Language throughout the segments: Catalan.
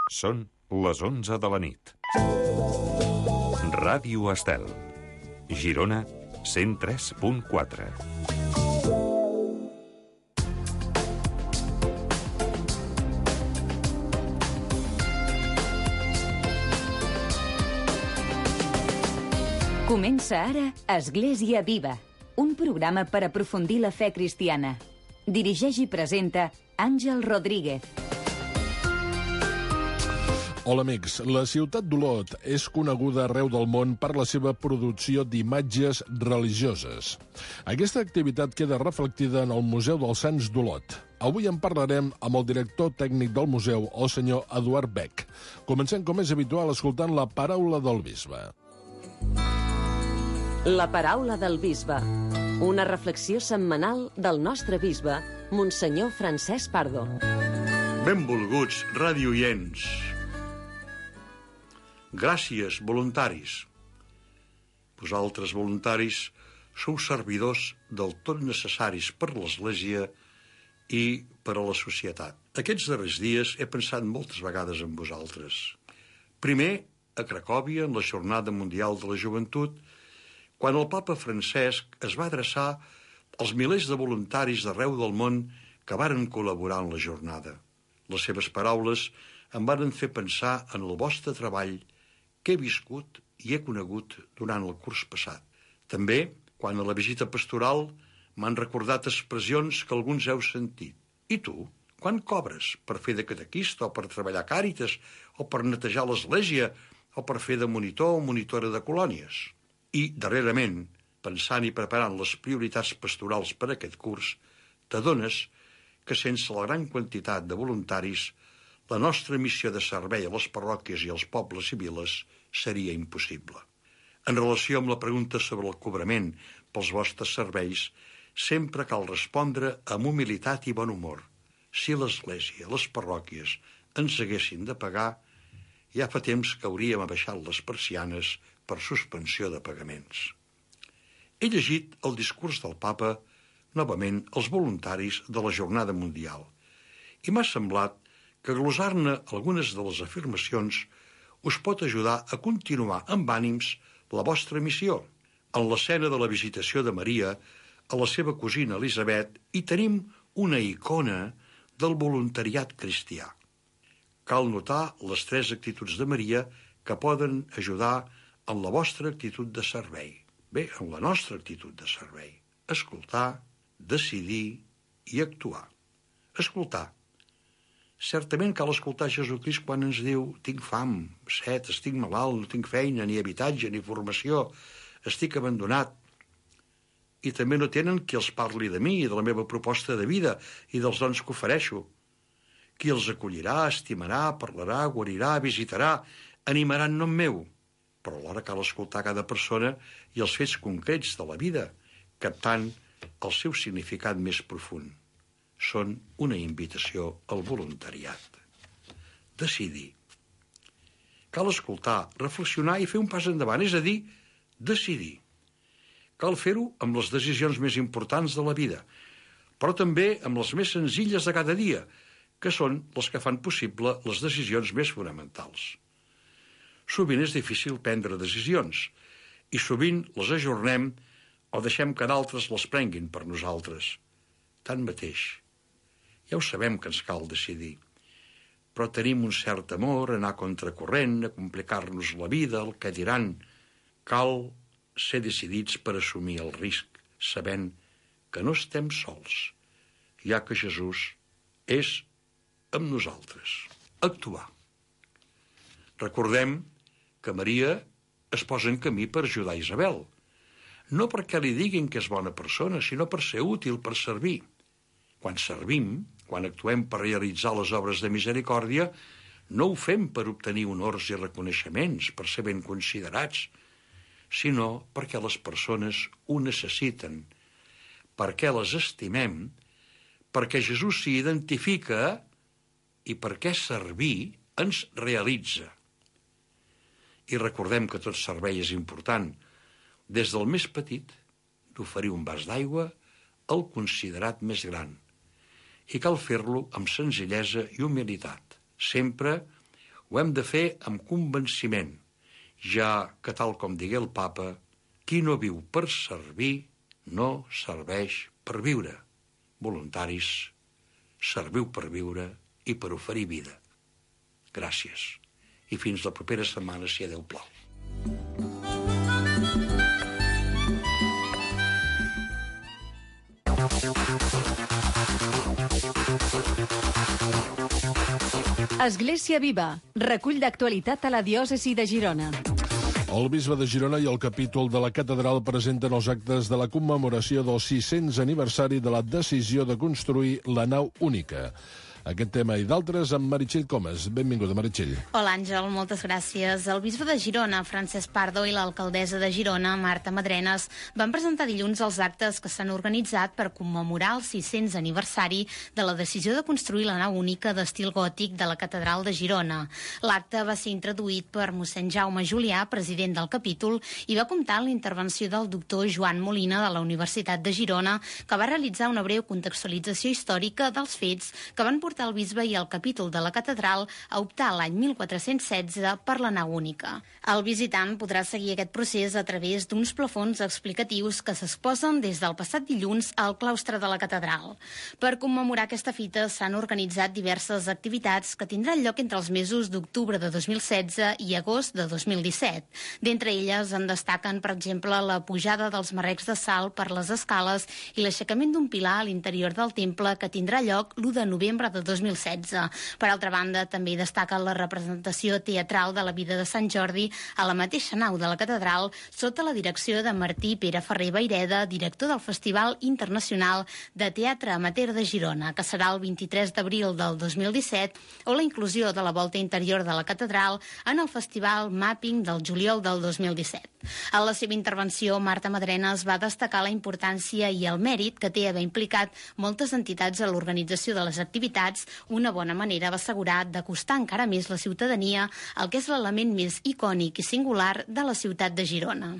Són les 11 de la nit. Ràdio Estel. Girona, 103.4. Comença ara Església Viva, un programa per aprofundir la fe cristiana. Dirigeix i presenta Àngel Rodríguez. Hola amics, la ciutat d'Olot és coneguda arreu del món per la seva producció d'imatges religioses. Aquesta activitat queda reflectida en el Museu dels Sants d'Olot. Avui en parlarem amb el director tècnic del museu, el senyor Eduard Beck. Comencem, com és habitual, escoltant la paraula del bisbe. La paraula del bisbe. Una reflexió setmanal del nostre bisbe, Monsenyor Francesc Pardo. Benvolguts radioients. Gràcies, voluntaris. Vosaltres, voluntaris, sou servidors del tot necessaris per l'Església i per a la societat. Aquests darrers dies he pensat moltes vegades en vosaltres. Primer, a Cracòvia, en la Jornada Mundial de la Joventut, quan el papa Francesc es va adreçar als milers de voluntaris d'arreu del món que varen col·laborar en la jornada. Les seves paraules em varen fer pensar en el vostre treball que he viscut i he conegut durant el curs passat. També, quan a la visita pastoral m'han recordat expressions que alguns heu sentit. I tu, quan cobres? Per fer de catequista o per treballar a Càritas o per netejar l'església o per fer de monitor o monitora de colònies? I, darrerament, pensant i preparant les prioritats pastorals per a aquest curs, t'adones que sense la gran quantitat de voluntaris, la nostra missió de servei a les parròquies i als pobles i viles seria impossible. En relació amb la pregunta sobre el cobrament pels vostres serveis, sempre cal respondre amb humilitat i bon humor. Si l'Església, les parròquies, ens haguessin de pagar, ja fa temps que hauríem abaixat les persianes per suspensió de pagaments. He llegit el discurs del papa, novament, als voluntaris de la Jornada Mundial, i m'ha semblat que glosar-ne algunes de les afirmacions us pot ajudar a continuar amb ànims la vostra missió. En l'escena de la visitació de Maria a la seva cosina Elisabet hi tenim una icona del voluntariat cristià. Cal notar les 3 actituds de Maria que poden ajudar en la vostra actitud de servei. Bé, en la nostra actitud de servei. Escoltar, decidir i actuar. Escoltar. Certament cal escoltar Jesucrist quan ens diu tinc fam, set, estic malalt, no tinc feina, ni habitatge, ni formació, estic abandonat. I també no tenen qui els parli de mi i de la meva proposta de vida i dels dons que ofereixo. Qui els acollirà, estimarà, parlarà, guarirà, visitarà, animarà en nom meu. Però alhora cal escoltar cada persona i els fets concrets de la vida, captant el seu significat més profund. Són una invitació al voluntariat. Decidir. Cal escoltar, reflexionar i fer un pas endavant, és a dir, decidir. Cal fer-ho amb les decisions més importants de la vida, però també amb les més senzilles de cada dia, que són les que fan possible les decisions més fonamentals. Sovint és difícil prendre decisions i sovint les ajornem o deixem que d'altres les prenguin per nosaltres. Tanmateix, ja ho sabem que ens cal decidir, però tenim un cert amor a anar contracorrent, a complicar-nos la vida, el que diran. Cal ser decidits per assumir el risc, sabent que no estem sols, ja que Jesús és amb nosaltres. Actuar. Recordem que Maria es posa en camí per ajudar Isabel. No perquè li diguin que és bona persona, sinó per ser útil, per servir. Quan servim, quan actuem per realitzar les obres de misericòrdia, no ho fem per obtenir honors i reconeixements, per ser ben considerats, sinó perquè les persones ho necessiten, perquè les estimem, perquè Jesús s'hi identifica i perquè servir ens realitza. I recordem que tot servei és important, des del més petit, d'oferir un vas d'aigua, al considerat més gran. I cal fer-lo amb senzillesa i humilitat, sempre Ho hem de fer amb convenciment, ja que, tal com digué el papa, qui no viu per servir no serveix per viure. Voluntaris, serviu per viure i per oferir vida. Gràcies. I fins la propera setmana, si Déu plau. Església Viva, recull d'actualitat a la diòcesi de Girona. El bisbe de Girona i el capítol de la catedral presenten els actes de la commemoració del 600 aniversari de la decisió de construir la nau única. Aquest tema i d'altres amb Meritxell Comas. Benvinguda, Meritxell. Hola, Àngel, moltes gràcies. El bisbe de Girona, Francesc Pardo, i l'alcaldessa de Girona, Marta Madrenas, van presentar dilluns els actes que s'han organitzat per commemorar el 600 aniversari de la decisió de construir la nau única d'estil gòtic de la catedral de Girona. L'acte va ser introduït per mossèn Jaume Julià, president del capítol, i va comptar amb la intervenció del doctor Joan Molina de la Universitat de Girona, que va realitzar una breu contextualització històrica dels fets que van portar el bisbe i el capítol de la catedral a optar l'any 1416 per la nau única. El visitant podrà seguir aquest procés a través d'uns plafons explicatius que s'exposen des del passat dilluns al claustre de la catedral. Per commemorar aquesta fita s'han organitzat diverses activitats que tindran lloc entre els mesos d'octubre de 2016 i agost de 2017. D'entre elles en destaquen, per exemple, la pujada dels marrecs de sal per les escales i l'aixecament d'un pilar a l'interior del temple que tindrà lloc l'1 de novembre de 2016. Per altra banda, també destaca la representació teatral de la vida de Sant Jordi a la mateixa nau de la catedral sota la direcció de Martí Pere Ferrer Vaireda, director del Festival Internacional de Teatre Amateur de Girona, que serà el 23 d'abril del 2017, o la inclusió de la volta interior de la catedral en el Festival Mapping del juliol del 2017. En la seva intervenció, Marta Madrenas va destacar la importància i el mèrit que té haver implicat moltes entitats a l'organització de les activitats, una bona manera, va assegurar, d'acostar encara més la ciutadania al que és l'element més icònic i singular de la ciutat de Girona.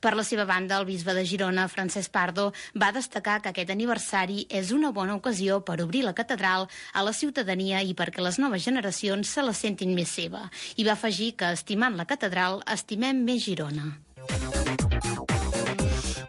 Per la seva banda, el bisbe de Girona, Francesc Pardo, va destacar que aquest aniversari és una bona ocasió per obrir la catedral a la ciutadania i perquè les noves generacions se la sentin més seva. I va afegir que, estimant la catedral, estimem més Girona.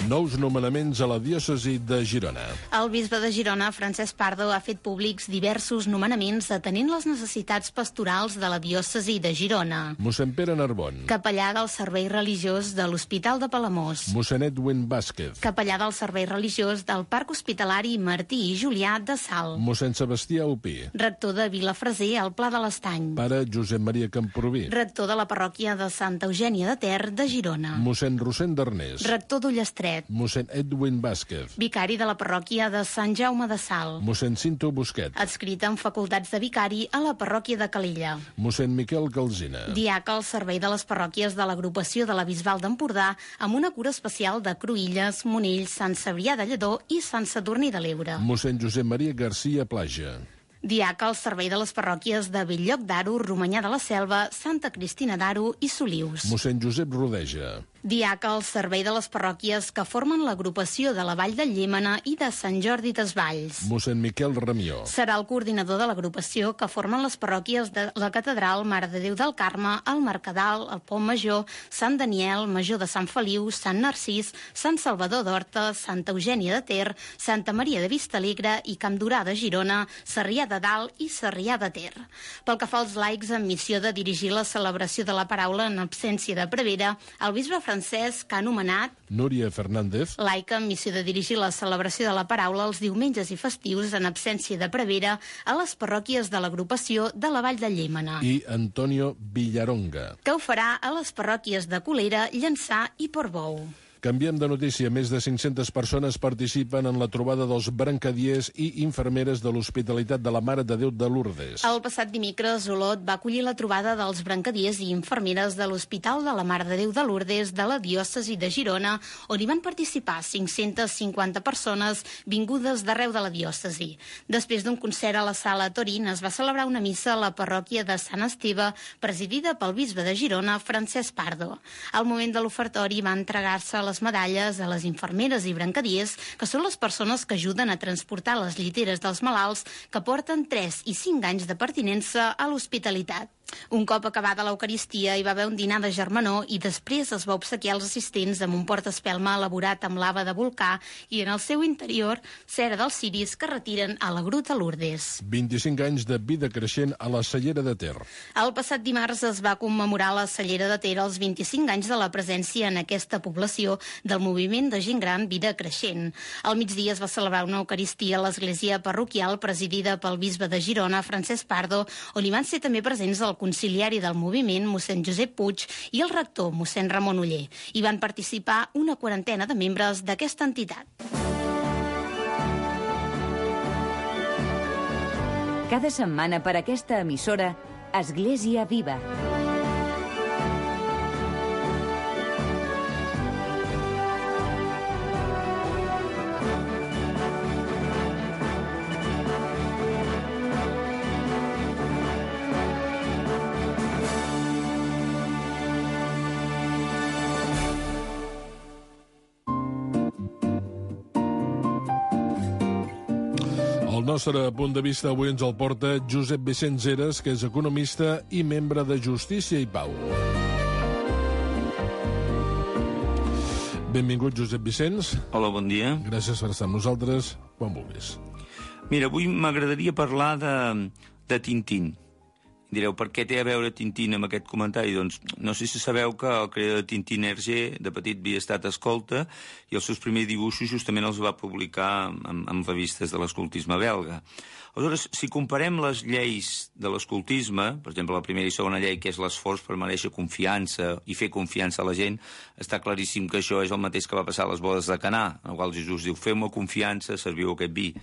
Nous nomenaments a la diòcesi de Girona. El bisbe de Girona, Francesc Pardo, ha fet públics diversos nomenaments atenent les necessitats pastorals de la diòcesi de Girona. Mossèn Pere Narbon. Capellà del servei religiós de l'Hospital de Palamós. Mossèn Edwin Vázquez. Capellà del servei religiós del Parc Hospitalari Martí i Julià de Salt. Mossèn Sebastià Opí. Rector de Vilafreser, al Pla de l'Estany. Pare Josep Maria Camproví. Rector de la parròquia de Santa Eugènia de Ter de Girona. Mossèn Rossend d'Arnés. Rector d'Ullestret. Mossèn Edwin Vázquez. Vicari de la parròquia de Sant Jaume de Salt. Mossèn Cinto Busquet. Adscrit en facultats de vicari a la parròquia de Calella. Mossèn Miquel Calzina. Diaca al servei de les parròquies de l'agrupació de la Bisbal d'Empordà amb una cura especial de Cruïlles, Monells, Sant Cebrià de Lledó i Sant Sadurní de l'Ebre. Mossèn Josep Maria García Plaja. Diaca al servei de les parròquies de Belllloc d'Aro, Romanyà de la Selva, Santa Cristina d'Aro i Solius. Mossèn Josep Rodeja. Diaca al servei de les parròquies que formen l'agrupació de la Vall de Llémena i de Sant Jordi Desvalls. Mossèn Miquel Ramió. Serà el coordinador de l'agrupació que formen les parròquies de la Catedral, Mare de Déu del Carme, el Mercadal, el Pont Major, Sant Daniel, Major de Sant Feliu, Sant Narcís, Sant Salvador d'Horta, Santa Eugènia de Ter, Santa Maria de Vistalegre i Campdorà de Girona, Sarrià de Dalt i Sarrià de Ter. Pel que fa als laics amb missió de dirigir la celebració de la paraula en absència de prevera, el bisbe Francesc ha anomenat Núria Fernández, laica amb missió de dirigir la celebració de la paraula els diumenges i festius en absència de prevera a les parròquies de l'agrupació de la Vall de Llémena. i Antonio Villaronga. Que ho farà a les parròquies de Colera, Llançà i Portbou. Canviem de notícia. Més de 500 persones participen en la trobada dels brancadiers i infermeres de l'Hospitalitat de la Mare de Déu de Lourdes. El passat dimecres, Olot va acollir la trobada dels brancadiers i infermeres de l'Hospital de la Mare de Déu de Lourdes de la diòcesi de Girona, on hi van participar 550 persones vingudes d'arreu de la diòcesi. Després d'un concert a la sala Torín, es va celebrar una missa a la parròquia de Sant Esteve, presidida pel bisbe de Girona, Francesc Pardo. Al moment de l'ofertori va entregar-se les medalles a les infermeres i brancadiers, que són les persones que ajuden a transportar les lliteres dels malalts que porten 3 i 5 anys de pertinença a l'hospitalitat. Un cop acabada l'Eucaristia hi va haver un dinar de germanor i després es va obsequiar als assistents amb un portaespelma elaborat amb lava de volcà i en el seu interior cera dels ciris que retiren a la Gruta Lourdes. 25 anys de vida creixent a la Cellera de Ter. El passat dimarts es va commemorar a la Cellera de Ter els 25 anys de la presència en aquesta població del moviment de gent gran Vida Creixent. Al migdia es va celebrar una Eucaristia a l'església parroquial presidida pel bisbe de Girona, Francesc Pardo, on hi van ser també presents el conciliari del moviment, mossèn Josep Puig, i el rector, mossèn Ramon Oller. Hi van participar una quarantena de membres d'aquesta entitat. Cada setmana per aquesta emissora, Església Viva. El nostre punt de vista avui ens el porta Josep Vicenç Heras, que és economista i membre de Justícia i Pau. Benvingut, Josep Vicenç. Hola, bon dia. Gràcies per estar amb nosaltres, quan vulguis. Mira, avui m'agradaria parlar de Tintín. Direu, per què té a veure Tintín amb aquest comentari? Doncs no sé si sabeu que el creador de Tintín, Hergé, de petit havia estat escolta i els seus primers dibuixos justament els va publicar en revistes de l'escoltisme belga. Aleshores, si comparem les lleis de l'escoltisme, per exemple, la primera i segona llei, que és l'esforç per mereixer confiança i fer confiança a la gent, està claríssim que això és el mateix que va passar a les bodes de Canà, en el qual Jesús diu, feu-me confiança, serviu aquest vi.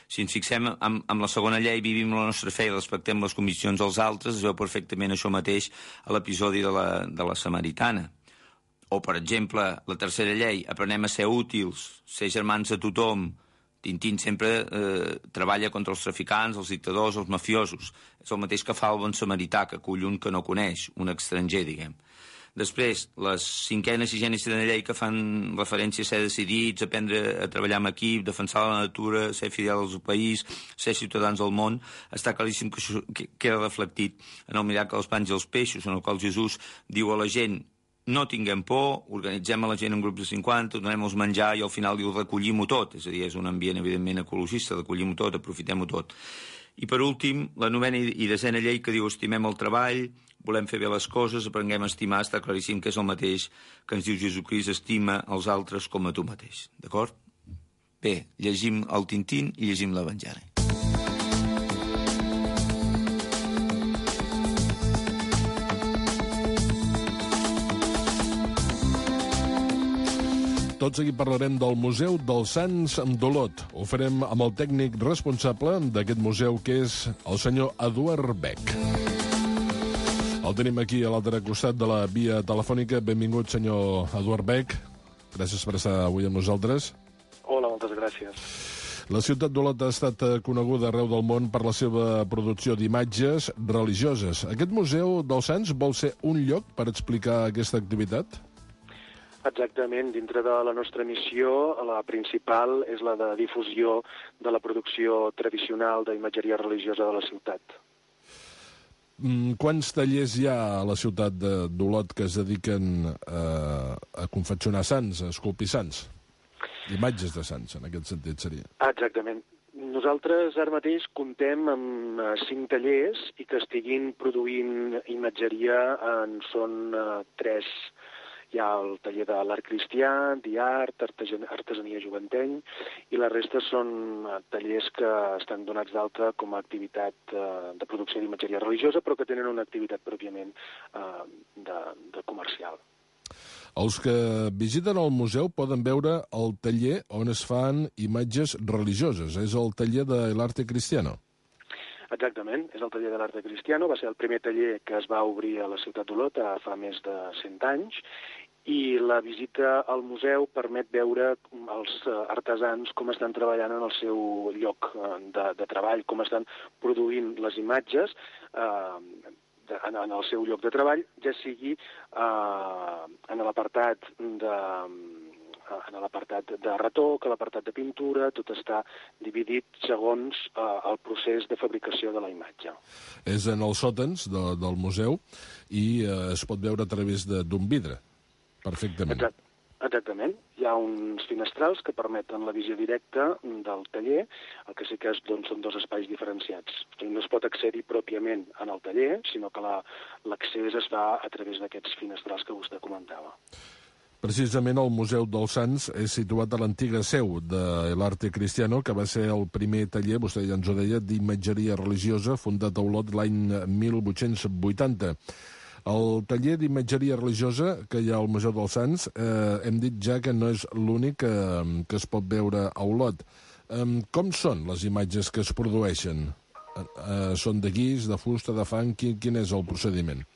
Si ens fixem en la segona llei, vivim la nostra fe i respectem les conviccions dels altres, es veu perfectament això mateix a l'episodi de la Samaritana. O, per exemple, la tercera llei, aprenem a ser útils, ser germans de tothom. Tintín sempre treballa contra els traficants, els dictadors, els mafiosos. És el mateix que fa el bon samarità, que acull un que no coneix, un estranger, diguem. Després, les cinquena, sisena i setena llei que fan referència a ser decidits, aprendre a treballar en equip, defensar la natura, ser fidels al país, ser ciutadans del món, està claríssim que això queda reflectit en el miracle dels pans i els peixos, en el qual Jesús diu a la gent no tinguem por, organitzem a la gent en grups de 50, donem-los menjar i al final diu recollim-ho tot, és a dir, és un ambient evidentment ecologista, recollim-ho tot, aprofitem-ho tot. I per últim, la novena i desena llei que diu estimem el treball, volem fer bé les coses, aprenguem a estimar, està claríssim que és el mateix que ens diu Jesucrist, estima els altres com a tu mateix. D'acord? Bé, llegim el Tintín i llegim l'Evangeli. Tot seguit parlarem del Museu dels Sants d'Olot. Ho farem amb el tècnic responsable d'aquest museu, que és el senyor Eduard Beck. El tenim aquí a l'altre costat de la via telefònica. Benvingut, senyor Eduard Beck. Gràcies per estar avui amb nosaltres. Hola, moltes gràcies. La ciutat d'Olot ha estat coneguda arreu del món per la seva producció d'imatges religioses. Aquest Museu dels Sants vol ser un lloc per explicar aquesta activitat? Exactament. Dintre de la nostra missió, la principal és la de difusió de la producció tradicional d'imatgeria religiosa de la ciutat. Quants tallers hi ha a la ciutat d'Olot que es dediquen a confeccionar sants, a esculpir sants? Imatges de sants, en aquest sentit seria. Exactament. Nosaltres ara mateix comptem amb 5 tallers i que estiguin produint imatgeria són 3. Hi ha el taller de l'art cristià, d'art, artesania joventeny, i la resta són tallers que estan donats d'alta com a activitat de producció d'imatgeria religiosa, però que tenen una activitat pròpiament de comercial. Els que visiten el museu poden veure el taller on es fan imatges religioses. És el taller de l'arte cristiano. Exactament, és el taller de l'arte cristiano. Va ser el primer taller que es va obrir a la ciutat d'Olot fa més de 100 anys, i la visita al museu permet veure els artesans com estan treballant en el seu lloc de treball, com estan produint les imatges en el seu lloc de treball, ja sigui en l'apartat en l'apartat de retoc, a l'apartat de pintura, tot està dividit segons el procés de fabricació de la imatge. És en els sòtans del museu i es pot veure a través d'un vidre, perfectament. Exactament. Hi ha uns finestrals que permeten la visió directa del taller, el que sí que són dos espais diferenciats. No es pot accedir pròpiament en el taller, sinó que l'accés es fa a través d'aquests finestrals que vostè comentava. Precisament el Museu dels Sants és situat a l'antiga seu de l'Arte Cristiano, que va ser el primer taller, vostè ja ens ho deia, d'imatgeria religiosa, fundat a Olot l'any 1880. El taller d'imatgeria religiosa que hi ha al Museu dels Sants, hem dit ja que no és l'únic que es pot veure a Olot. Com són les imatges que es produeixen? Són de guix, de fusta, de fang? Quin és el procediment?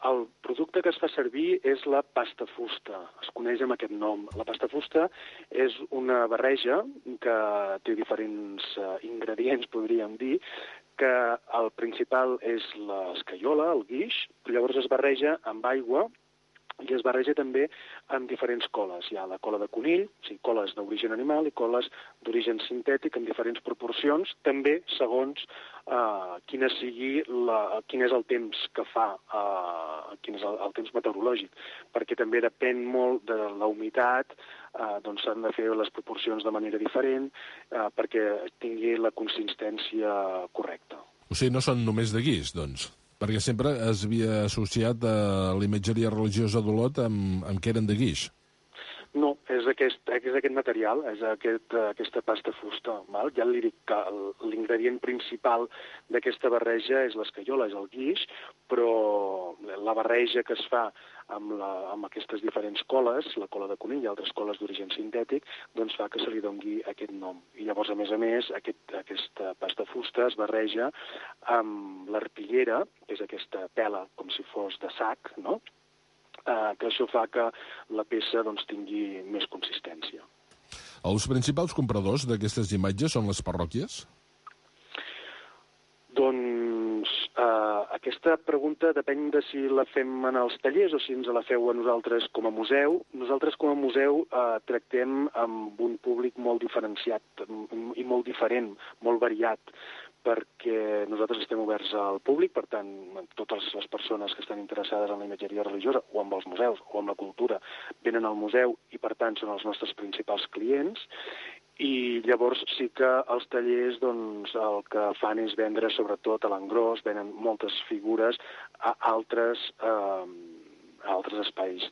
El producte que es fa servir és la pasta fusta, es coneix amb aquest nom. La pasta fusta és una barreja que té diferents ingredients, podríem dir, que el principal és l'escaiola, el guix, llavors es barreja amb aigua i es barreja també amb diferents coles. Hi ha la cola de conill, o sigui, coles d'origen animal i coles d'origen sintètic en diferents proporcions, també segons quin és el temps que fa, quin és el temps meteorològic, perquè també depèn molt de la humitat, doncs s'han de fer les proporcions de manera diferent perquè tingui la consistència correcta. O sigui, no són només de guix, doncs? Perquè sempre es havia associat a la imatgeria religiosa d'Olot amb que eren de guix. No, és aquest material, és aquesta pasta fusta. Val? Ja li dic que l'ingredient principal d'aquesta barreja és l'escaiola, és el guix, però la barreja que es fa amb aquestes diferents coles, la cola de conill i altres coles d'origen sintètic, doncs fa que se li doni aquest nom. I llavors, a més, aquesta pasta fusta es barreja amb l'arpillera, que és aquesta pela com si fos de sac, no?, que això fa que la peça tingui més consistència. Els principals compradors d'aquestes imatges són les parròquies? Doncs aquesta pregunta depèn de si la fem en els tallers o si ens la feu a nosaltres com a museu. Nosaltres com a museu tractem amb un públic molt diferenciat i molt diferent, molt variat, perquè nosaltres estem oberts al públic, per tant, totes les persones que estan interessades en la imatgeria religiosa o amb els museus o amb la cultura venen al museu i, per tant, són els nostres principals clients. I llavors sí que els tallers el que fan és vendre sobretot a l'engròs, venen moltes figures a altres espais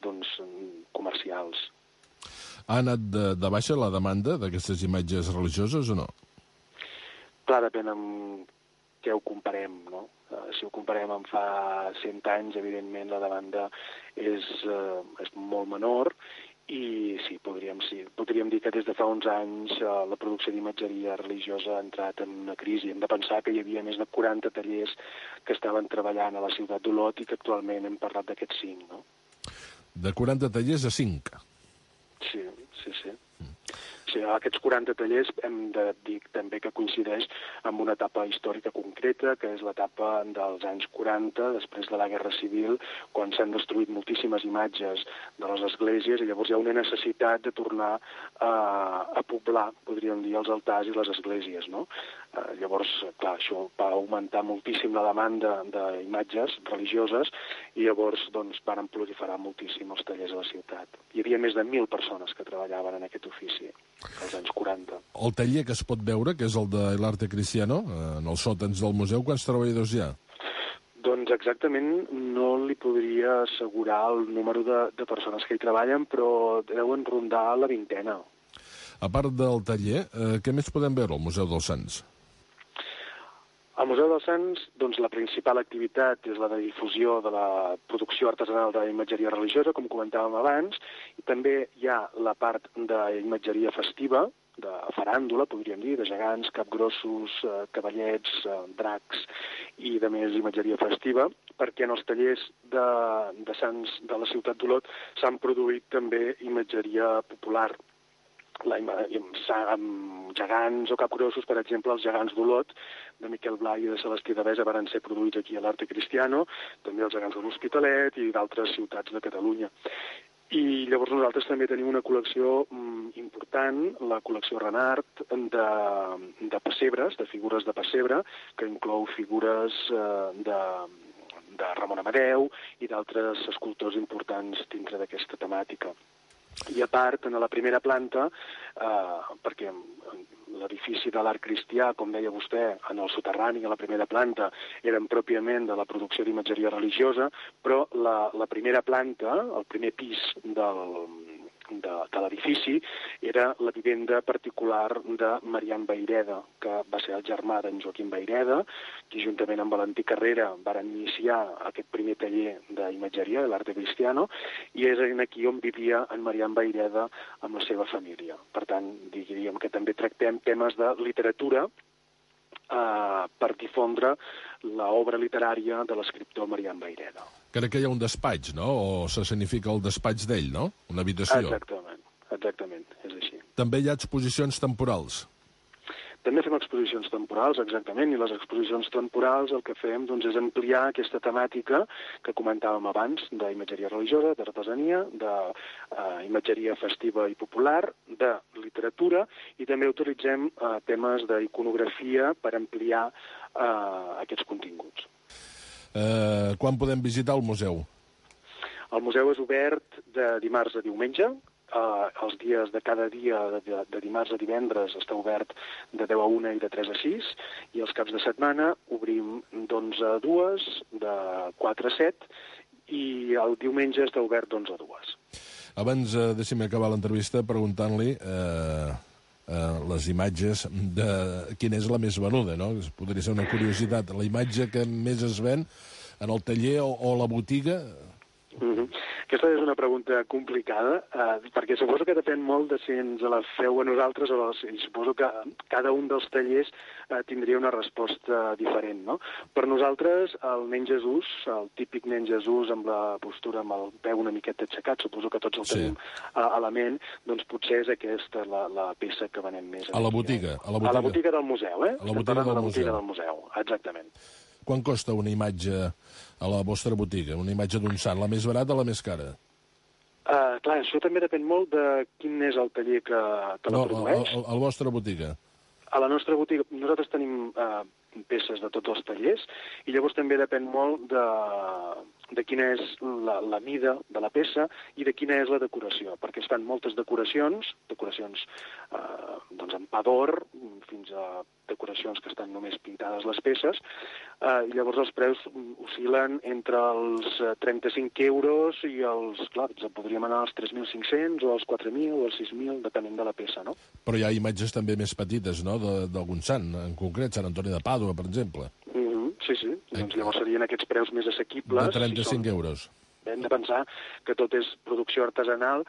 comercials. Ha anat de baixa la demanda d'aquestes imatges religioses o no? Clar, depèn amb què ho comparem, no? Si ho comparem amb fa 100 anys, evidentment la demanda és molt menor i sí, podríem dir que des de fa uns anys la producció d'imatgeria religiosa ha entrat en una crisi. Hem de pensar que hi havia més de 40 tallers que estaven treballant a la ciutat d'Olot i que actualment hem parlat d'aquests 5, no? De 40 tallers a 5? Sí. Sí, aquests 40 tallers hem de dir també que coincideix amb una etapa històrica concreta, que és l'etapa dels anys 40, després de la Guerra Civil, quan s'han destruït moltíssimes imatges de les esglésies i llavors hi ha una necessitat de tornar a poblar, podríem dir, els altars i les esglésies, no? Llavors, clar, això va augmentar moltíssim la demanda d'imatges religioses i llavors varen proliferar moltíssim els tallers a la ciutat. Hi havia més de 1.000 persones que treballaven en aquest ofici als anys 40. El taller que es pot veure, que és el de l'Arte Cristiano, en els sòtans del museu, quants treballadors hi ha? Doncs exactament no li podria assegurar el número de persones que hi treballen, però deuen rondar la 20ena. A part del taller, què més podem veure al Museu dels Sants? Al Museu dels Sants, la principal activitat és la de difusió de la producció artesanal d'imatgeria religiosa, com comentàvem abans, i també hi ha la part d'imatgeria festiva, de faràndula, podríem dir, de gegants, capgrossos, cavallets, dracs i de més imatgeria festiva, perquè en els tallers de Sants de la ciutat d'Olot s'han produït també imatgeria popular, amb gegants o capgrossos, per exemple, els gegants d'Olot, de Miquel Blai i de Celestí Devesa van ser produïts aquí a l'Arte Cristiano, també els gegants de l'Hospitalet i d'altres ciutats de Catalunya. I llavors nosaltres també tenim una col·lecció important, la col·lecció Renart, de pessebres, de figures de pessebre, que inclou figures de Ramon Amadeu i d'altres escultors importants dintre d'aquesta temàtica. I a part, en la primera planta, perquè l'edifici de l'art cristià, com deia vostè, en el soterrani, a la primera planta, eren pròpiament de la producció d'imatgeria religiosa, però la primera planta, el primer pis de l'edifici, era la vivenda particular de Marian Vayreda, que va ser el germà d'en Joaquim Vayreda, que juntament amb Valentí Carrera varen iniciar aquest primer taller d'imatgeria, de l'arte cristiano, i és aquí on vivia en Marian Vayreda amb la seva família. Per tant, diríem que també tractem temes de literatura per difondre l'obra literària de l'escriptor Marian Vayreda. Crec que hi ha un despatx, no? O s'escenifica el despatx d'ell, no? Una habitació. Exactament, és així. També hi ha exposicions temporals. També fem exposicions temporals, exactament, i les exposicions temporals el que fem doncs, és ampliar aquesta temàtica que comentàvem abans, d'imatgeria religiosa, d'artesania, d'imatgeria festiva i popular, de literatura, i també utilitzem temes d'iconografia per ampliar aquests continguts. Quan podem visitar el museu? El museu és obert de dimarts a diumenge. Els dies de cada dia, de dimarts a divendres, està obert de 10 a 1 i de 3 a 6, i els caps de setmana obrim d'11 a 2, de 4 a 7, i el diumenge està obert d'11 a 2. Abans, deixi'm acabar l'entrevista preguntant-li les imatges de quina és la més venuda, no? Podria ser una curiositat. La imatge que més es ven en el taller o la botiga... Aquesta és una pregunta complicada, perquè suposo que depèn molt de si ens la feu a nosaltres o suposo que cada un dels tallers tindria una resposta diferent, no? Per nosaltres, el nen Jesús, el típic nen Jesús amb la postura, amb el peu una miqueta aixecat, suposo que tots el tenim a la ment, doncs potser és aquesta la peça que venem més. A la botiga? A la botiga del museu, A la botiga del museu, exactament. Quan costa una imatge a la vostra botiga? Una imatge d'un sant, la més barata o la més cara? Clar, això també depèn molt de quin és el taller que la produeix. No, a la vostra botiga. A la nostra botiga, nosaltres tenim peces de tots els tallers, i llavors també depèn molt de quina és la mida de la peça i de quina és la decoració, perquè es fan moltes decoracions doncs en pa d'or, fins a decoracions que estan només pintades les peces, i llavors els preus oscil·len entre els 35 euros i podríem anar als 3.500 o als 4.000 o als 6.000, depenent de la peça, no? Però hi ha imatges també més petites, no?, d'algun sant, en concret, Sant Antoni de Pàdua, per exemple. Sí. Doncs llavors serien aquests preus més assequibles. De 35 euros. Hem de pensar que tot és producció artesanal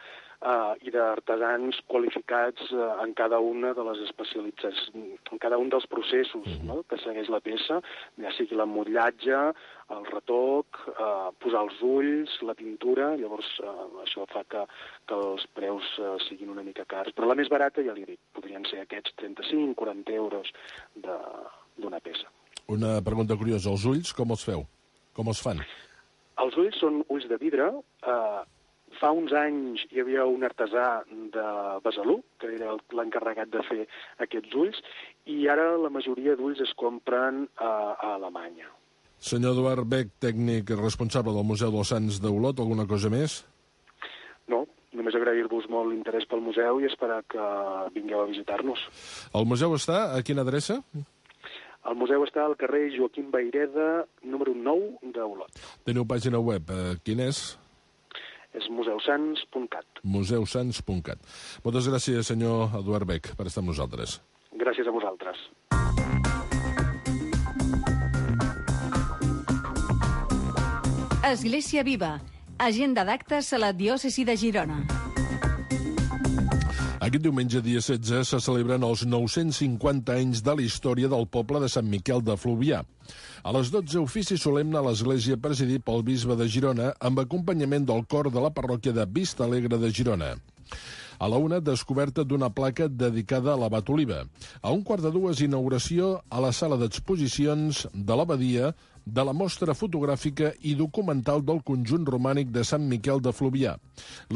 i d'artesans qualificats en cada una de les especialitzacions, en cada un dels processos que segueix la peça, ja sigui l'emmotllatge, el retoc, posar els ulls, la pintura, llavors això fa que els preus siguin una mica cars. Però la més barata, ja li dic, podrien ser aquests 35-40 euros d'una peça. Una pregunta curiosa, els ulls com els feu? Com els fan? Els ulls són ulls de vidre. Fa uns anys hi havia un artesà de Besalú, que era l'encarregat de fer aquests ulls, i ara la majoria d'ulls es compren a Alemanya. Senyor Eduard Beck, tècnic responsable del Museu dels Sants d'Olot, alguna cosa més? No, només agrair-vos molt l'interès pel museu i esperar que vingueu a visitar-nos. El museu està a quina adreça? El museu està al carrer Joaquim Vayreda, número 9 d'Olot. Teniu pàgina web. Quin és? És museusans.cat. museusans.cat. Moltes gràcies, senyor Eduard Beck, per estar amb nosaltres. Gràcies a vosaltres. Església Viva. Agenda d'actes a la diòcesi de Girona. Aquest diumenge, dia 16, se celebren els 950 anys de la història del poble de Sant Miquel de Fluvià. A les 12, ofici solemne a l'església presidit pel bisbe de Girona amb acompanyament del cor de la parròquia de Vista Alegre de Girona. A la 1, descoberta d'una placa dedicada a l'abat Oliva. A 1:15, inauguració a la sala d'exposicions de l'abadia de la mostra fotogràfica i documental del conjunt romànic de Sant Miquel de Fluvià.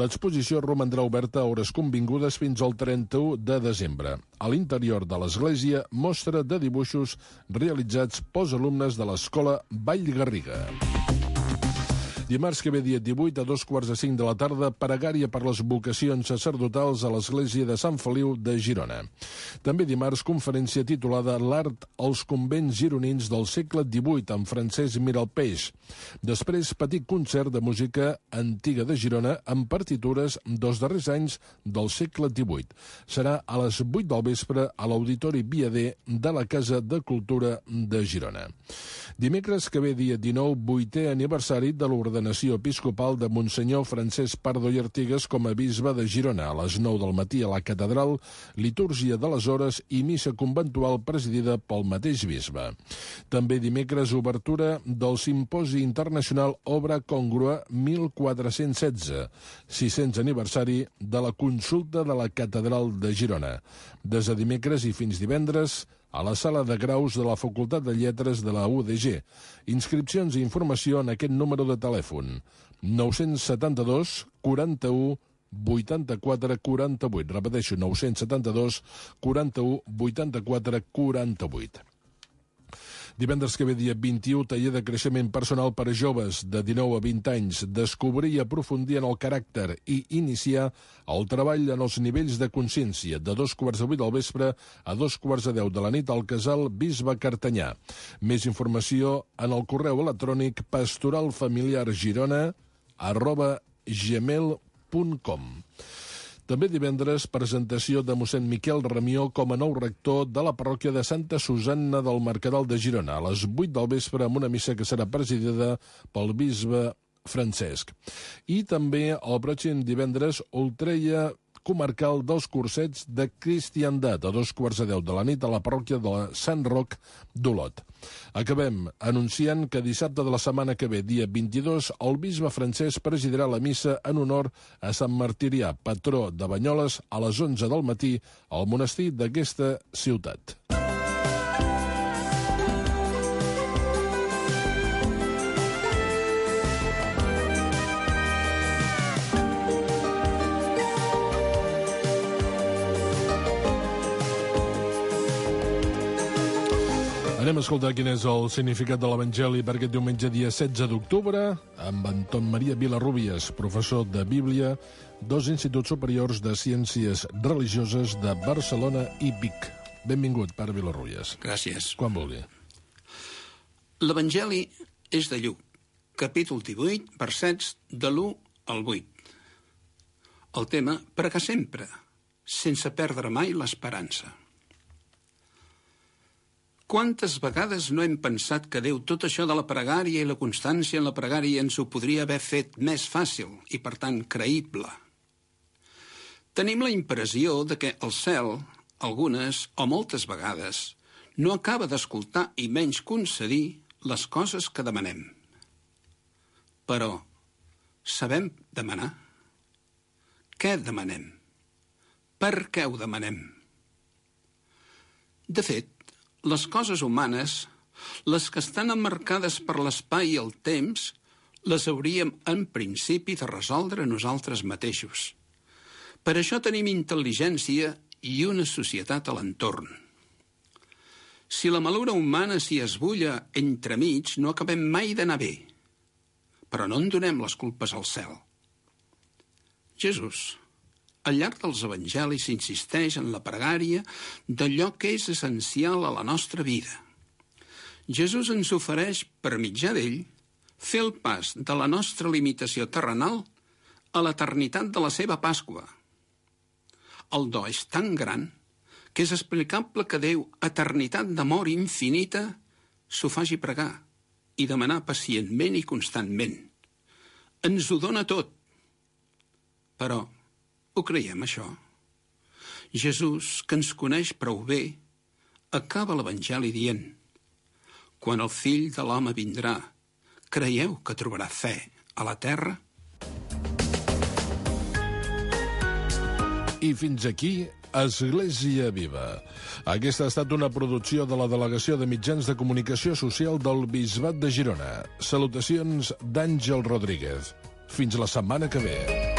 L'exposició romandrà oberta a hores convingudes fins al 31 de desembre. A l'interior de l'església, mostra de dibuixos realitzats pels alumnes de l'Escola Vallgarriga. Dimarts que ve, dia 18, a 2:45 de la tarda, pregària per les vocacions sacerdotals a l'església de Sant Feliu de Girona. També dimarts, conferència titulada L'art als convents gironins del segle XVIII, amb Francesc Miralpeix. Després, petit concert de música antiga de Girona amb partitures dels darrers anys del segle XVIII. Serà a les 8 del vespre a l'Auditori Viader de la Casa de Cultura de Girona. Dimecres que ve, dia 19, 8è aniversari de l'ordenació episcopal de Monsenyor Francesc Pardo i Artigas com a bisbe de Girona. A les 9 del matí a la catedral, litúrgia de les hores i missa conventual presidida pel mateix bisbe. També dimecres, obertura del Simposi Internacional Obra Congrua 1416, 600 aniversari de la consulta de la catedral de Girona. Des de dimecres i fins divendres, a la sala de graus de la Facultat de Lletres de la UDG. Inscripcions i informació en aquest número de telèfon: 972 41 84 48. Repeteixo, 972 41 84 48. Divendres que ve, dia 21, taller de creixement personal per a joves de 19 a 20 anys, descobrir i aprofundir en el caràcter i iniciar el treball en els nivells de consciència, de 2:15 del vespre a 2:10 de la nit al casal Bisbe Cartanyà. Més informació en el correu electrònic pastoralfamiliargirona@gmail.com. També divendres, presentació de mossèn Miquel Ramió com a nou rector de la parròquia de Santa Susanna del Mercadal de Girona, a les 8 del vespre, amb una missa que serà presidida pel bisbe Francesc. I també el pròxim divendres, ultreia comarcal dels cursets de cristiandat, a 2:10 de la nit a la parròquia de Sant Roc d'Olot. Acabem anunciant que dissabte de la setmana que ve, dia 22, el bisbe Francesc presidirà la missa en honor a Sant Martirià, patró de Banyoles, a les 11 del matí al monestir d'aquesta ciutat. Anem a escoltar quin és el significat de l'Evangeli per aquest diumenge, dia 16 d'octubre, amb Anton Maria Vilarrubias, professor de Bíblia dels Instituts Superiors de Ciències Religioses de Barcelona i Vic. Benvingut, pare Vilarrubias. Gràcies. Quan vulgui. L'Evangeli és de Lluc, capítol 18, versets de l'1 al 8. El tema, pregar sempre, sense perdre mai l'esperança. Quantes vegades no hem pensat que Déu tot això de la pregària i la constància en la pregària ens ho podria haver fet més fàcil i, per tant, creïble. Tenim la impressió de que el cel, algunes o moltes vegades, no acaba d'escoltar i menys concedir les coses que demanem. Però, sabem demanar? Què demanem? Per què ho demanem? De fet, les coses humanes, les que estan emmarcades per l'espai i el temps, les hauríem en principi de resoldre nosaltres mateixos. Per això tenim intel·ligència i una societat a l'entorn. Si la malura humana s'hi esbulla entremig, no acabem mai d'anar bé. Però no en donem les culpes al cel. Jesús, al llarg dels evangelis, insisteix en la pregària d'allò que és essencial a la nostra vida. Jesús ens ofereix, per mitjà d'ell, fer el pas de la nostra limitació terrenal a l'eternitat de la seva Pasqua. El do és tan gran que és explicable que Déu, eternitat d'amor infinita, s'ho faci pregar i demanar pacientment i constantment. Ens ho dona tot. Però ho creiem, això? Jesús, que ens coneix prou bé, acaba l'Evangeli dient: quan el fill de l'home vindrà, creieu que trobarà fe a la terra? I fins aquí Església Viva. Aquesta ha estat una producció de la Delegació de Mitjans de Comunicació Social del Bisbat de Girona. Salutacions d'Àngel Rodríguez. Fins la setmana que ve.